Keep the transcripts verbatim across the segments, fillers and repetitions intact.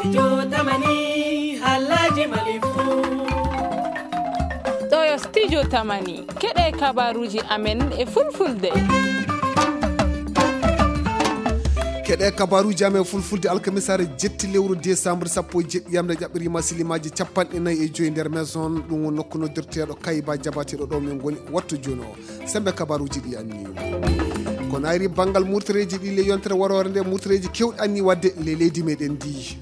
Studio Tamani, halaji Mali fu. Ɗo yo Studio Tamani, keɗe kabaruji amen e fulfulde. Keɗe kabaruji amen fulfulde alkamisare jetti lewru décembre sappo e jeɗɗi yamde jaɓɓirima silimaji capanɗe nayi e joyi nder maison, ɗum woni nokku noddirteɗo Kayba Jabateɗo ɗo min goni wattu jono. Sembe kabaruji ɗi anni. Ko nayri bangal murtareji ɗi le yontere warore nde murtareji kewɗi anni wadde le leydi meɗen ndi.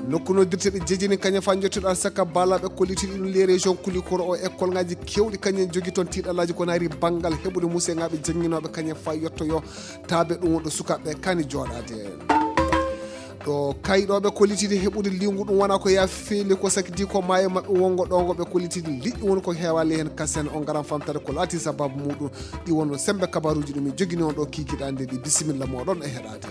Nokku noddirteɗe jejini kañum fa jottuɗo alsaka balaɓe kollitiɗi ɗum les régions kulikoro o école ngaji kewɗi kañum jogi toon tiɗalaji ko nayri bangal heɓude museŋaɓe jannginoɓe kañum fa yettoyo taabe ɗum wonɗo sukaɓe kani joɗade. Ɗo kayɗoɓe kollitiɗi heɓude liwngu ɗum wona ko ya feeli ko sakiti ko maayo maɓɓe wongo ɗongo ɓe kollitiɗi liƴƴi woni ko heewali heen kasen on ngaran famtare ko laati sababu muɗum. Ɗi wonno sembe kabaruji ɗum min jogini on ɗo kikiɗande ɗi bisimilla moɗon e heɗade.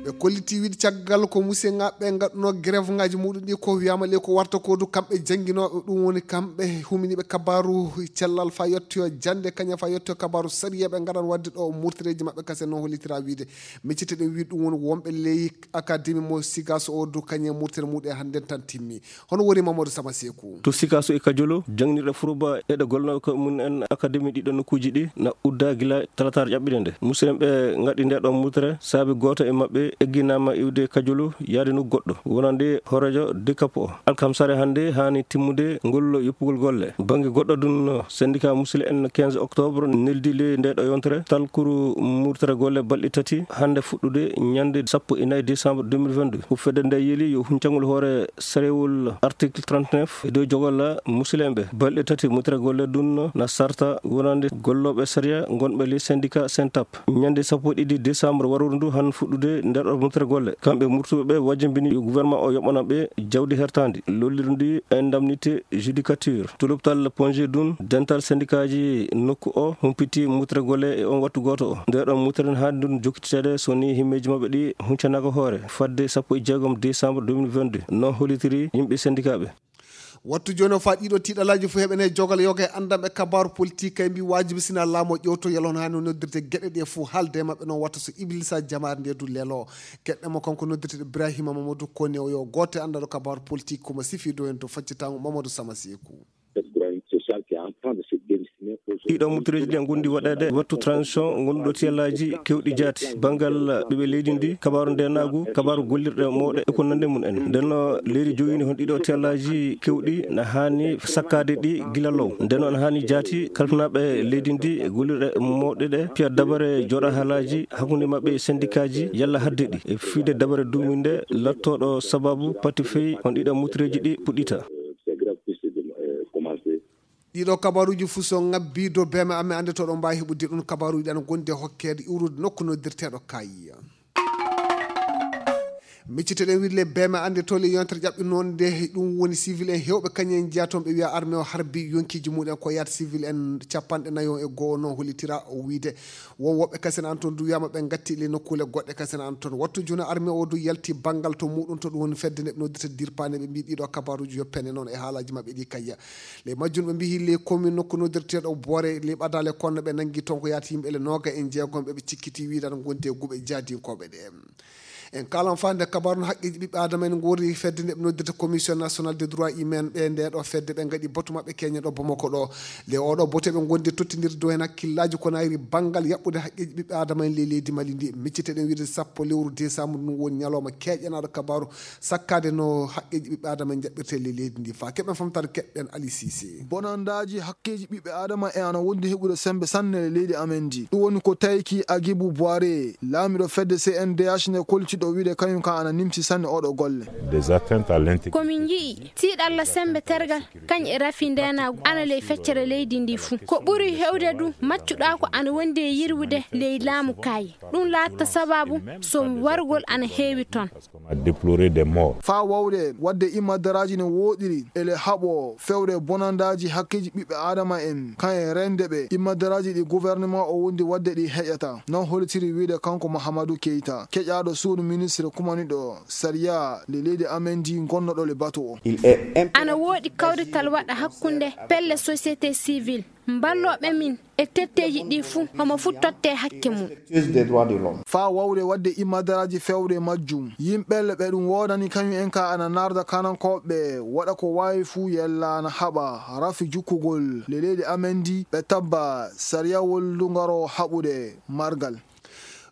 Ɓe kolliti wiide caggal ko museŋaɓe gaɗuno grève ngaji muɗum ɗi ko wiyama le ko warta ko du kamɓe jannginoɓe ɗum woni kamɓe huminiɓe kabaru cellal fa yettoyo jande kañum fa yettoyo kabaru sariya ɓe gaɗan wadde ɗo murtireji maɓɓe kasen no hollitira wiide. Miccite ɗen wi ɗum woni wonɓe ley akademi mo sigas o du kañum murtere muɗum e hannden tan timmi. Hono woni Mamadou Sama Seku? To sikaso e kajolo jangnirɗe furuba eɗe golnoɓe ko mum en akademi ɗiɗo nokkuji ɗi na udda gila talatar ƴaɓɓiɗe nde musidɗen ɓe gaɗi nde ɗon mutere saabi goto e maɓɓe egginama iwde kajolo yaade nokku goɗɗo wonande hoorejo dikapo o. Alkamsare hannde hani timmude ngol yoppugol golle. Bannge goɗɗo ɗum, syndicat musidɓe en quinze octobre neldi ley nde ɗo yontere talkuru murtere golle balɗe tati hannde fuɗɗude ñande sappo e nayi décembre deux mille vingt-deux. Ko fedde nde yeeli yo huncangol hoore sarewol article trente-neuf e dow jogolla musidɓe. Balɗe tati murtere golle ɗum na sarta wonande gollooɓe sariya gonɓe ley syndicat Syntap. Ñande sappo e ɗiɗi décembre waruru ndu han fuɗɗude nder ɗo moftere golle. Kamɓe murtuɓe ɓe wajjambini yo gouvernement o yoɓana ɓe jawdi hertandi lollirundi indemnité judicature. Tuluptal ponje dun dental syndikaji nokku o humpiti murtere golle e on wattu goto o. Nde ɗon murtere ha ndun jokkitede so ni himmeji maɓɓe ɗi huncanaga hoore fadde sappo e jeegom décembre deux mille vingt-deux. Non hollitiri yimɓe syndika ɓe. Wattu jooni o faa ɗiɗo tiiɗalaaji fof heɓene jogal yoga e anndanɓe kabaaru politik kay mbi waajibi sina laamu o ƴewto yalon haa no noddirde geɗe ɗe fof haalde e maɓɓe noon watta so iblisa jamaare nde du lelo. Keɗɗe mo kanko noddirte Ibrahima Mamadou Kone o yo goote anndaɗo kabaaru politik komo sifi do en to faccitango Mamadou Sama Seku. Cette grogne sociale qui est en train de se dessiner. Ɗiɗo muttereeji ɗi ngondi waɗeede wattu transition ngonduɗo tiyallaaji kewɗi jaati banngal ɓiɓɓe leydi ndi, kabaaru ndenaagu, kabaaru gollirɗe mawɗe e ko nande mum en. Ndenno leydi jogini hon ɗiɗo tiyallaaji kewɗi na haani sakkaade ɗi gila law. Ndenno na haani jaati kalfinaaɓe leydi ndi e gollirɗe mawɗe ɗe piya dabare jooɗa haalaaji hakkunde maɓɓe e sendikaaji yalla hadde ɗi e fiide dabare duuminde lattooɗo sababu pati fey on ɗiɗo muttereeji ɗi puɗɗita. Ɗiɗo kabaruuji fuu so ŋabbii dow beeme amen, annde to ɗon mbaawi heɓude ɗum. Kabaruuji ɗi ana ngondi e hokkeede iwrude nokku noddirteeɗo Kayya. Miccitoɗen wirle beeme, annde to le yontere ƴaɓɓinoonde, ɗum woni civil en heewɓe kañum en njiya toon ɓe wiya armée o harbi yonkiiji mumen ko yaata civil en capanɗe nayo e goo no hollitira o wiyde. Won woɓɓe kasen an toon du wiyama ɓe ngatti le nokkuule goɗɗe kasen an toon. Wattu jooni armée o du yalti banngal to muɗum to ɗum woni fedde nde ɓe noddirta dirpaane ɓe mbi ɗiɗo kabaruuji yoppene noon e haalaaji maɓɓe ɗi Kayya. Ley majjum ɓe mbiyi ley commune nokku noddirteeɗo Boore ley ɓadaale konno ɓe nanngi toon ko yaati yimɓe ele nooga e jeegom ɓe ɓe cikkiti wiidan gondi e guɓe jaadinkooɓe ɗe. En kaalan faande kabaaru no haqqeeji ɓiɓɓe aadama en ngoori fedde nde ɓe noddirta commission nationale des droits humains ɓe nde ɗo fedde ɓe ngaɗi batu maɓɓe keñe ɗo Bamako ɗo. Ley oɗo bote ɓe ngondi tottindirde dow heen hakkillaaji ko nayri banngal yaɓɓude haqqeeji ɓiɓɓe aadama en ley leydi Mali ndi. Micciteɗen wiide sappo lewru décembre ɗum woni ñalawma keeƴanaaɗo kabaaru sakkaade no haqqeeji ɓiɓɓe aadama en jaɓɓirte ley leydi ndi. Faa keɓen famtaade keɗɗen Ali Cissé. Bonandaaji hakkeeji ɓiɓɓe aadama en ana wondi heɓude sembe sanne e leydi amen ndi. Ɗum woni ko tayki Agibu Boire, laamiɗo fedde C N D H nde koltiɗo wiide kañum kan ana nimsi sanne oɗo golle. Des atteintes à l'intégrité. Ko min nji'i tiiɗalla sembe tergal kañ e rafi ndenaagu ana ley feccere leydi ndi fuu. Ko ɓuri hewde du maccuɗaa ko ana wondi e yirwude ley laamu Kayya. Ɗum laatta sababu so wargol ana heewi toon. On a déploré des morts. Faa wawde wadde immadaraaji no wooɗiri ele haɓo fewre bonandaaji hakkeeji ɓiɓɓe aadama en kan e rende ɓe immadaraaji ɗi gouvernement o wondi wadde ɗi heƴata non hollitiri wiide kanko Mahamadou Keita keƴaaɗo suudu Ministre kumaniɗo sariya le leydi amen ndi gonnoɗo le bato o. Ana woodi kawrital waɗa hakkunde pelle société civile, mballooɓe min e tetteeji ɗi fuu, homo fuu tottee hakke mum. Faa wawde waɗde imadaraaji fewre majjum, yimɓe ɓe ɗum woodani kañum en ka ana narda kanankooɓe, waɗa ko waawi fuu yella ana haɓa rafi jukkugol le leydi amen ndi, ɓe tabba sariyawol ndu ngaro haɓude margal.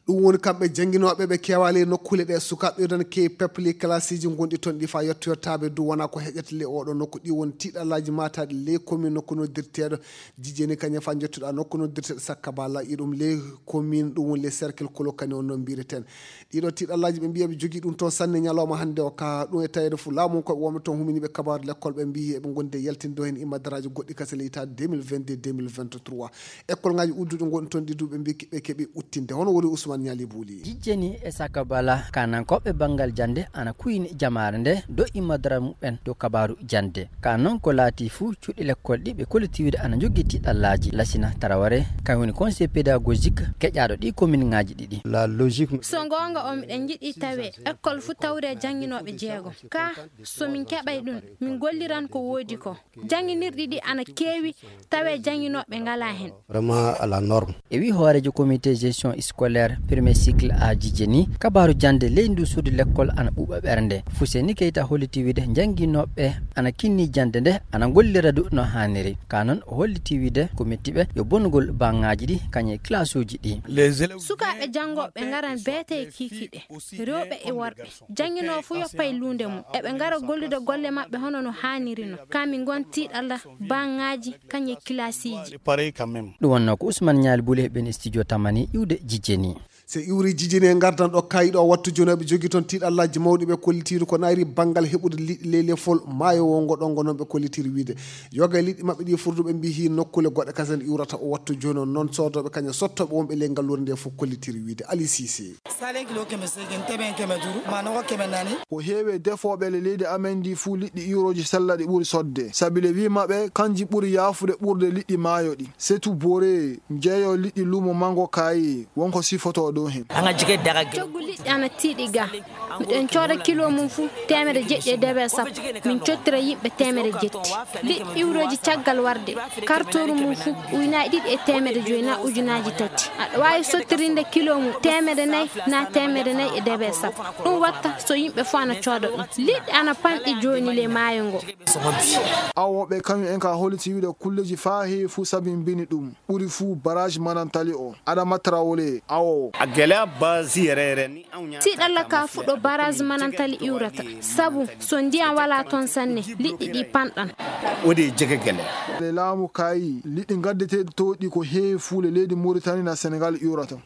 Ɗum woni kamɓe jannginooɓe ɓe keewaali e nokkuule ɗe sukaaɓe ɗon keewi pepli kalasiiji ngonɗi toon ɗi faa yettoyottaaɓe du wonaa ko heƴata le oɗo nokku. Ɗi woni tiiɗallaaji maataaɗi ley komin nokku noddirteeɗo Jijeni kañum faa njottuɗaa nokku noddirteeɗo Sakkabala iɗum ley komin ɗum woni ley cercle Kolokani on no mbireten. Ɗiɗo tiiɗallaaji ɓe mbiya ɓe jogii ɗum toon sanne ñalawma hannde o ka ɗum e taweede fof laamu ko wonɓe toon humini ɓe kabaaru lekkol ɓe mbiyi eɓe ngondi e yaltinde heen imadaraaji goɗɗi kase leytaade deux mille vingt-deux deux mille vingt-trois. Ekkolŋaaji udduɗi ngonɗi toon ɗi duuɓi mbi ɓe keɓi uttinde. Hono woni Ousmane Ñaali Buuli? Jijjeni e Sakabala, kanankooɓe banngal jannde ana kuyni jamaare nde do immodora muɓɓen dow kabaaru jannde. Ka noon ko laati fuu cuuɗi lekkol ɗi ɓe kollitiwde ana njogii tiiɗallaaji. Lasina Taraware, kañum woni conseil pédagogique keƴaaɗo ɗi kominŋaaji ɗiɗi. La logique. So goonga o, miɗen njiɗi tawe ekkol fuu tawre jannginooɓe jeegom. Ka so min keɓay ɗum, min golliran ko woodi ko. Jannginirɗi ɗi ana keewi, tawe jannginooɓe ngalaa heen. Vraiment à la norme. E wii hooreejo comité gestion scolaire premier cycle A Jijjeni, kabaaru jannde ley ndu suudu lekkol ana ɓuuɓa ɓernde. Fuseni Keita holliti wiide jannginooɓe ana kinni jannde nde, ana ngollira du no haaniri. Ka noon o holliti wiide ko metti ɓe yo bonnugol baŋŋaaji ɗi kañum e kilasuuji ɗi. Sukaaɓe janngooɓe ngaran beete e kiikiiɗe, rewɓe e worɓe. Jannginoowo fuu yoppay luunde mum. Eɓe ngara gollude golle maɓɓe hono no haaniri no. Ka min ngon tiiɗalla baŋŋaaji kañum e kilasiiji. Pareil quand même. Ɗum wonnoo ko Ousmane Ñaali Buuli e ɓen studio Tamani iwde Jijjeni. So iwri Jijjeni e ngardan ɗo kaayiɗo o wattu jooni ɓe jogii toon tiiɗallaaji mawɗi ɓe kollitiiri ko nayri banngal heɓude liɗɗi ley lefol maayo wongo ɗo ngo noon ɓe kollitiiri wiide. Yoga e liɗɗi maɓɓe ɗi furduɓe mbiyi nokkuule goɗɗe kasen iwrata o wattu jooni o noon soodooɓe kañum sottooɓe wonɓe ley ngalluure nde fof kollitiiri wiide. Ali Sise. Salen kilo keme seegin, teben keme duuru, manɔgɔ keme naani. Ko heewi e defooɓe le leydi amen ndi fuu liɗɗi iwrooji sella ɗi ɓuri sodde. Sabi le wii maɓɓe kanji ɓuri yaafude ɓurde liɗɗi maayo ɗi. Setu Bore, njeeyo liɗɗi luumo mango kaayi, wonko sifotoo ɗo heen. Coggu liɗɗi ana tiiɗi ga. Miɗen cooda kilo mum fuu teemedde jeɗɗi e debe sappo. Min cottira yimɓe teemedde jetti. Liɗɗi iwrooji caggal warde. Kartooru mum fuu ujunaaji ɗiɗi e teemedde joyi na ujunaaji tati. Aɗa waawi sottirinde kilo mum teemedde nayi na teemedde nayi e debe sappo. Ɗum watta so yimɓe fuu ana cooda ɗum. Liɗɗi ana pamɗi jooni ley maayo ngo. Awooɓe kañum en ka holliti wiide kulleeji faa heewi fuu sabi mbini ɗum. Ɓuri fuu barrage Manantali o. Adama Traoré, awoowo. A gɛlɛya base yɛrɛ yɛrɛ ni anw y'a Tiiɗalla ka fuɗɗo barrage Manantali iwrata. Sabu so ndiyam walaa toon sanne, liɗɗi ɗi panɗan. O de ye jɛgɛ gɛlɛya. Le laamu kaayi, liɗɗi gaddeteeɗi towɗi ko heewi fuu le leydi Mauritanie na Sénégal iwrata.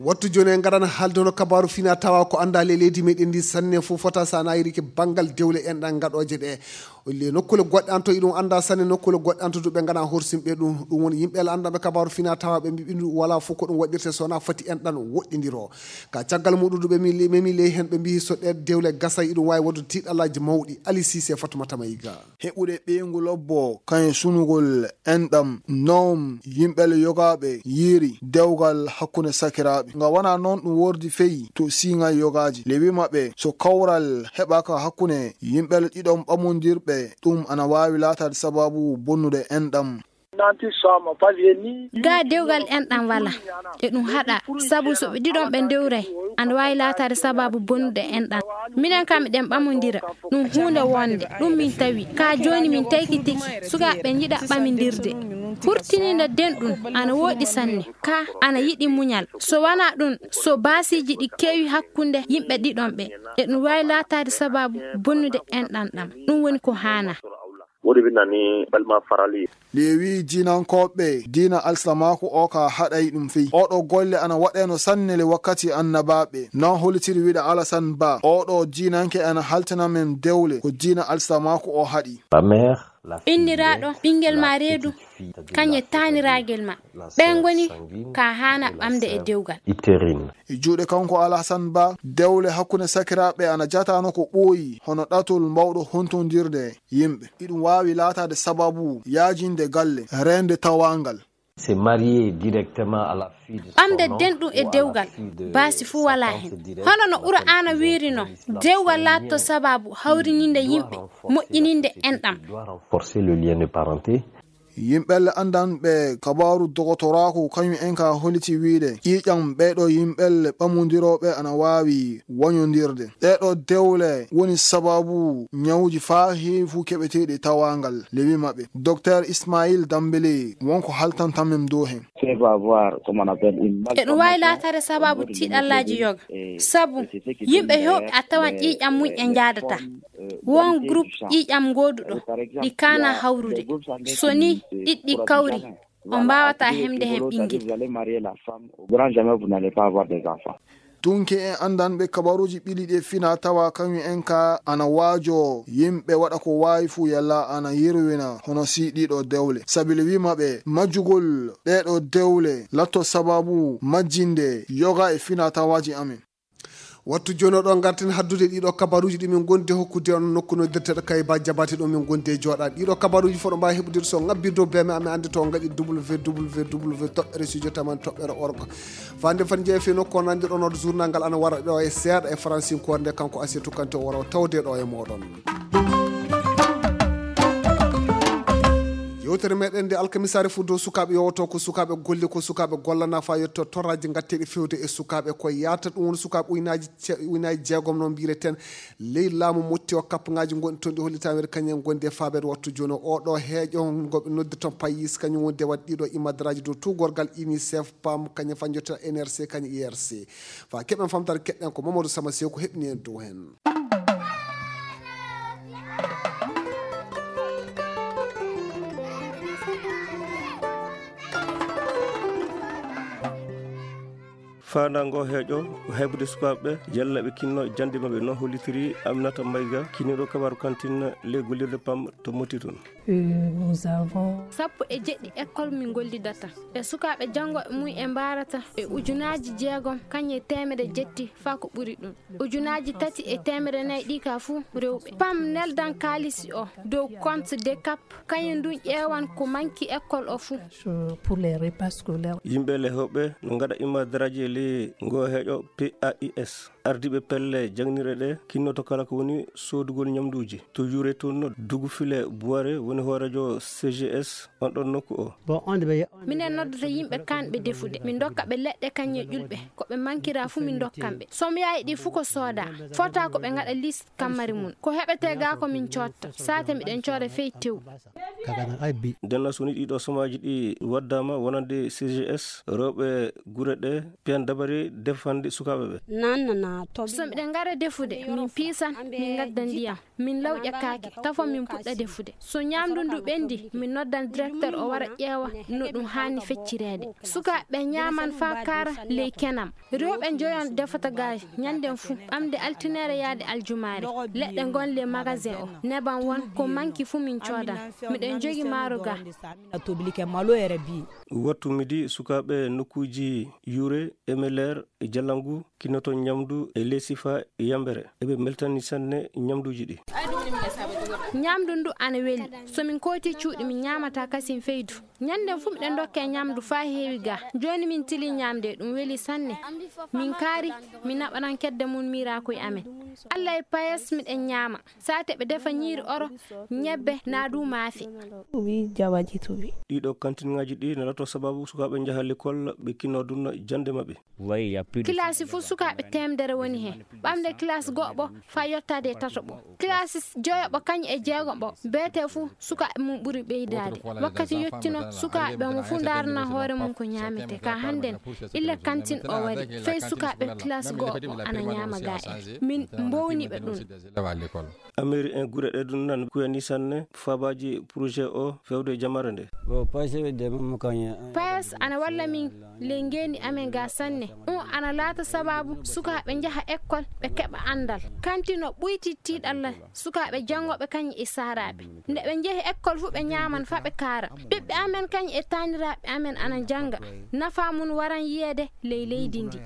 Wattu jooni en ngaran haalde hono kabaaru fina tawa ko anndaa le leydi meɗen ndi sanne fof fota sa naayiri ke banngal dewle enɗan ngaɗooje ɗe. Le nokkuule goɗɗe an to iɗum anndaa sanne nokkuule goɗɗe an to duɓe ngana horsimɓe ɗum. Ɗum woni yimɓe la anndanɓe kabaaru fina tawa ɓe mbiɓi ndu wala fof ko ɗum waɗirte so wona fati enɗan woɗɗindiro. Ka caggal muɗum duɓe mi memi ley heen ɓe mbiyi so ɗe dewle gasa iɗum waawi waɗude tiiɗallaaji mawɗi. Ali Sise, Fatumata Mayiga. Heɓude ɓeyngu lobbo, kañum sunugol enɗam, noom yimɓe le yogaaɓe yiiri dewgal hakkunde sakiraaɓe. Nga wonaa noon ɗum wordi feyi to siiŋay yogaaji. Le wii maɓɓe, so kawral heɓaaka hakkunde yimɓe le ɗiɗon ɓamondirɓe, ɗum ana waawi laataade sabaabu bonnude enɗam. Ga dewgal enɗam wala, e ɗum haɗa, sabu so ɓe ɗiɗon ɓe ndewray, ana waawi laataade sabaabu bonnude enɗam. Minen kam miɗen ɓamondira, ɗum huunde wonde, ɗum min tawi. Ka jooni min taykitiki, sukaaɓe ɓe njiɗa ɓamindirde. Hurtiniinde denɗum, ana wooɗi sanne, ka ana yiɗi muñal. So wanaa ɗum, so baasiiji ɗi keewi hakkunde yimɓe ɗiɗon ɓe, e ɗum waawi laataade sabaabu bonnude enɗam ɗam. Ɗum woni ko haanaa. Woɗi ɓe nani balma farali. Lewi diinankooɓe diina alsilamaaku o ka haɗay ɗum fey. Oɗo golle ana waɗeno sanne le wakkati annabaaɓe. Non holitiri wiɗa Alasan Ba. Oɗo diinanke ana haltina men dewle ko diina alsilamaaku o haɗi. Inniraaɗo ɓinngel ma reedu, kañe taaniraagel ma. Ɓen ngoni ka haana ɓamde e dewgal. E juuɗe kanko Alhasan Ba, dewle hakkunde sakiraaɓe ana jatano ko ɓooyi hono ɗatol mawɗo hontondirde yimɓe. Iɗum waawi laataade sababu yaajinde galle, reende tawaangal. C'est marié directement à la fuite. Ɓamde denɗum e dewgal, baasi fuu walaa heen. Hono no Qur'aana wiiri noon, dewgal laatto sabaabu hawrininde yimɓe, moƴƴininde enɗam. Doit renforcer le lien de parenté. Yimɓelle anndanɓe kabaaru dogotoraaku kañum en ka holiti wiide ƴiiƴam ɓeeɗo yimɓelle ɓamondirooɓe ana waawi wañondirde. Ɗeeɗo dewle woni sababu ñawuji faa heewi fuu keɓeteeɗi tawaangal. Lewi maɓɓe, Docteur Ismail Dambele, wonko haltantamen dow heen. Eɗum waawi laataade sababu tiiɗallaaji yoga. Sabu yimɓe heewɓe a tawan ƴiiƴam mum en njaadataa. Won groupe ƴiiƴam gooduɗo ɗi kaana hawrude. So ni ɗiɗɗi kawri, on mbaawata hemde heen ɓinngel. Tunke en anndanɓe kabaruuji ɓili ɗi e fina tawa kañum en ka ana waajo yimɓe waɗa ko waawi fuu yalla ana yerwina hono si ɗiɗo dewle. Sabile wi maɓɓe majjugol ɗeeɗo dewle latto sababu majjinde yoga e fina tawaaji amen. Wattu jooni o ɗo ngarten haddude ɗiɗo kabaruuji ɗi min gondi hokkude on nokku noddirteɗo Kayba Jabate ɗo min gondi e jooɗaade. Ɗiɗo kabaruuji fof ɗo mbaawi heɓude so ngabbirde beme amen annde to ngaɗi www toɓɓere studio taman toɓɓere org. Fande fan jeeya fii nokku o nandir on oɗo journal ngal ana wara ɗo e seeɗa e faransinkoore nde kanko Asiya Tukkante o wara o tawde ɗo e mooɗon. Yewtere meɗen nde alkamisaare fof dow sukaaɓe yowoto ko sukaaɓe golle ko sukaaɓe gollana faa yetto torraaji ngatteeɗi fewde e sukaaɓe ko yaata ɗum woni sukaaɓe uynaaji ce-, uynaaji jeegom no mbiyeten ley laamu motti o kappaŋaaji ngonɗi toon ɗi hollitaama kañum en ngondi e faabeede wattu jooni o ɗo heeƴo ngo ɓe noddi toon payis kañum woni de waɗ ɗiɗo imadaraaji dow tuugorgal UNICEF pam kañum fañjoto N R C kañum I R C faa keɓen famtaare keɗɗen ko Mamadou Sama Seeku heɓni en dow heen. Faandaango heeƴo ko heɓude sukaaɓe ɓe, yalla ɓe kinno jannde maɓɓe no hollitiri Aminata Mayga, kinniiɗo kabaaru kantin ley gollirde pam to Motti toon. Sappo e jeɗɗi école min ngollidata. E sukaaɓe janngooɓe mum en mbarata e ujunaaji jeegom kañum e teemedde jetti faa ko ɓuri ɗum. Ujunaaji tati e teemedde nayi ɗi ka fuu rewɓe. Pam neldan kaalisi o dow compte de cap, kañum ndun ƴeewan ko manki école o fuu. Pour les repas scolaires. Yimɓe lehooɓe no ngaɗa imadaraaji e ley ngoo heeƴo P A I S. Ardiiɓe pelle jaŋnirɗe ɗe kinnoto kala ko woni soodugol ñamduuji. To yuure toon no Dugufile Buware woni hooreejo C G S on ɗon nokku o. Minen noddata yimɓe kaanɓe defude. Min ndokka ɓe leɗɗe kañum e ƴulɓe. Ko ɓe mankira fuu min ndokkan ɓe. Somyaaji ɗi fuu ko sooda. Fota ko ɓe ngaɗa liste kammari mum. Ko heɓetee ga ko min cootta. Saate miɗen cooda fey tew. Ndenno so ni ɗiɗo somaaji ɗi waddaama wonande C G S, rewɓe gure ɗe piyan dabare defande sukaaɓe ɓe. So miɗen ngara defude, min piisan, min ngadda ndiyam. Min lawƴa kaake, tafon min puɗɗa defude. So ñaamdu ndu ɓendi, min noddan directeur o wara ƴeewa no ɗum haani feccireede. Sukaaɓe ɓe ñaaman faa kaara ley kenam. Rewɓe njoyon defata ga ñannden fuu, ɓamde altineere yaade aljumaare. Leɗɗe ngon ley magasin o, neban won ko manki fuu min coodan. Miɗen jogi maaro ga. Wattu midi sukaaɓe nokkuuji Yuure, Emeler, e Jallangu kinnoto ñamdu e Lesifa e Yambere. Eɓe mbeltani sanne ñamduuji ɗi. Ñamdu ndu ana weli. So min kooti cuuɗi, min ñaamata kasin feydu. Ñannden fuu miɗen ndokke ñamdu faa heewi ga. Jooni min tili ñaamde, ɗum weli sanne. Min kaari, min naɓanan kedde mum miiraakoy amen. Alla e payes miɗen ñaama. Saate ɓe defa ñiiri oro, ñebbe, naa du maafe. Wi jawaji tuwi. Ɗiɗo kantinŋaaji ɗi nalato sababu sukaaɓe njaha likol ɓe kinno dunna jannde maɓɓe. Kilaasi fuu sukaaɓe teemedere woni heen. Ɓamde kilaasi go'oɓo faa yottaade e tatoɓo. Kilaasi joyoɓo kañum e jeegoɓo beetee fuu sukaaɓe mum ɓuri ɓeydaade. Wakkati yottino sukaaɓe omo fuu ndaarana hoore mum ko ñaametee. Ka hannden illa kantin o wari. Fey sukaaɓe kilaasi go'oɓo ana ñaama ga en. Min mbowni ɓe ɗum. Ameri en gure ɗe ɗum nan kuyani sanne fabaaji projet o fewde jamare nde. Payes ana walla min ley ngeendi amen ga sanne. Ɗum ana laata sababu sukaaɓe njaha ekkol ɓe keɓa anndal. Kantin o ɓuyti tiiɗalla sukaaɓe janngooɓe kañum e saaraaɓe. Nde ɓe njehi ekkol fuu ɓe ñaaman faa ɓe kaara. Ɓiɓɓe amen kañum e taaniraaɓe amen ana njannga. Nafa mum waran yiyeede ley leydi ndi.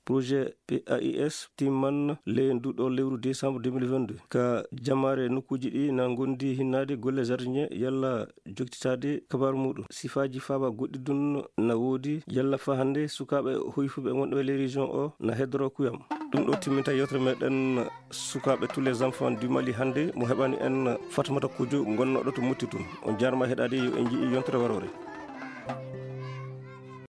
Projet P A I S timman ley ndu ɗo lewru décembre deux mille vingt-deux. Ka jamaare nokkuuji ɗi na ngondi hinnaade golle jardinier yalla joktitaade kabaaru muɗum. Sifaaji faaba goɗɗi ɗun na woodi yalla fa hannde sukaaɓe hoyfuɓe wonɓe ley région o na heddoro kuyam. Ɗum ɗo timminta yewtere meɗen sukaaɓe tous les enfants du Mali hannde mo heɓani en Fatmata Kojo gonnoɗo to Mutti tun. On jaarama heɗaade yo en ji'i yontere waroore.